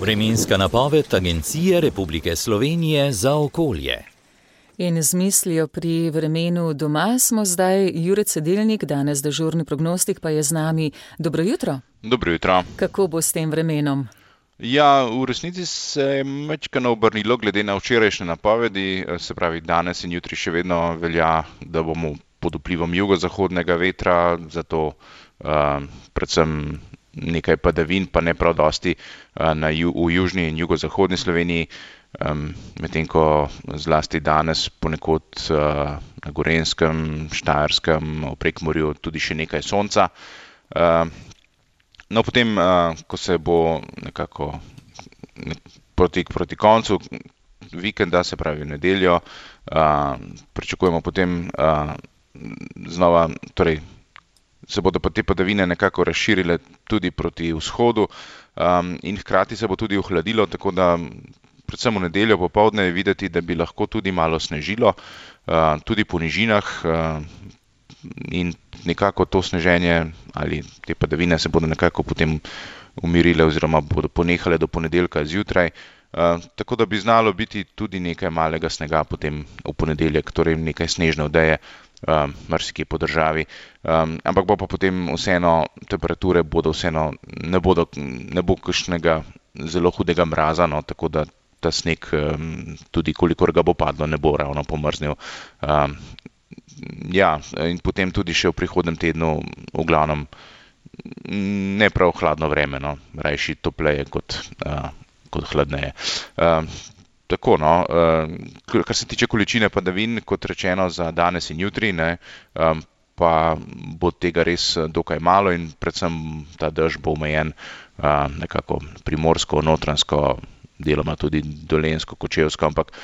Vremenska napoved Agencije Republike Slovenije za okolje. In z mislijo pri vremenu doma smo zdaj. Jure Cedilnik, danes dežurni prognostik, pa je z nami. Dobro jutro. Dobro jutro. Kako bo s tem vremenom? Ja, v resnici se je majčkeno obrnilo glede na včerajšnje napovedi, se pravi danes in jutri še vedno velja, da bomo pod vplivom jugozahodnega vetra, zato predvsem nekaj padavin, pa ne prav dosti v južni in jugozahodni Sloveniji, medtem ko zlasti danes ponekod na Gorenjskem, Štajerskem, v Prekmurju tudi še nekaj sonca. No, potem, ko se bo nekako proti koncu vikenda, se pravi v nedeljo, pričakujemo potem znova, torej se bodo pa te padavine nekako razširile tudi proti vzhodu in hkrati se bo tudi ohladilo, tako da predvsem v nedeljo popoldne je videti, da bi lahko tudi malo snežilo, tudi po nižinah, in nekako to sneženje ali te padavine se bodo nekako potem umirile oziroma bodo ponehale do ponedeljka zjutraj, tako da bi znalo biti tudi nekaj malega snega potem v ponedeljek, torej nekaj snežne odeje marsikje po državi, ampak bo pa potem vseeno temperature bodo vseeno, ne bo kakšnega zelo hudega mraza, no, tako da ta sneg tudi kolikor ga bo padlo, ne bo ravno pomrznil. Ja, in potem tudi še v prihodnem tednu v glavnem ne prav hladno vreme, no, rajši topleje kot hladneje. Tako, no, kar se tiče količine padavin, kot rečeno za danes in jutri, ne, pa bo tega res dokaj malo in predvsem ta dež bo omejen nekako primorsko, notranjsko, deloma tudi dolenjsko, kočevsko, ampak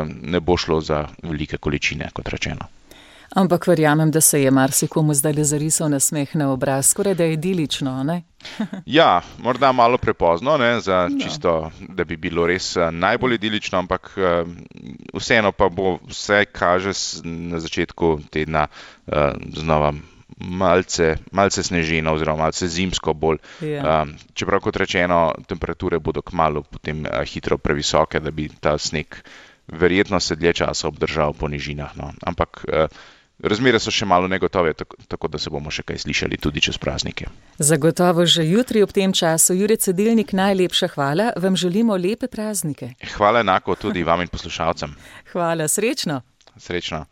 ne bo šlo za velike količine, kot rečeno. Ampak verjamem, da se je marsikomu zdaj zarisal nasmeh na obraz, skoraj da je idilično, ne? Ja, morda malo prepozno, ne, za čisto, da bi bilo res najbolj idilično, ampak vseeno pa bo vse kaže na začetku tedna znova malce snežino oziroma malce zimsko bolj. Ja. Čeprav kot rečeno, temperature bodo kmalu potem hitro previsoke, da bi ta sneg verjetno se dlje časa obdržal po nižinah, no. Ampak razmere so še malo negotove, tako da se bomo še kaj slišali tudi čez praznike. Zagotovo že jutri ob tem času. Jure Cedilnik, najlepša hvala. Vam želimo lepe praznike. Hvala enako tudi vam in poslušalcem. Hvala, srečno. Srečno.